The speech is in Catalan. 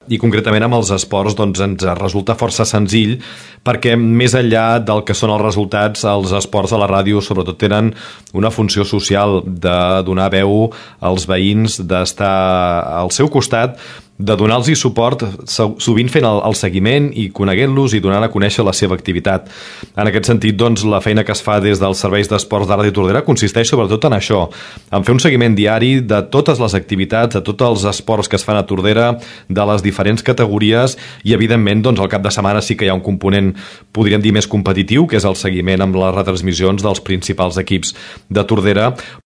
I concretament amb els esports doncs, ens resulta força senzill perquè més enllà del que són els resultats, els esports a la ràdio sobretot tenen una funció social de donar veu als veïns, d'estar al seu costat, de donar-los suport, sovint fent el seguiment i coneguent-los i donant a conèixer la seva activitat. En aquest sentit, doncs, la feina que es fa des dels serveis d'esports de Ràdio Tordera consisteix sobretot en això, en fer un seguiment diari de totes les activitats, de tots els esports que es fan a Tordera, de les diferents categories i, evidentment, doncs, al cap de setmana sí que hi ha un component, podríem dir, més competitiu, que és el seguiment amb les retransmissions dels principals equips de Tordera,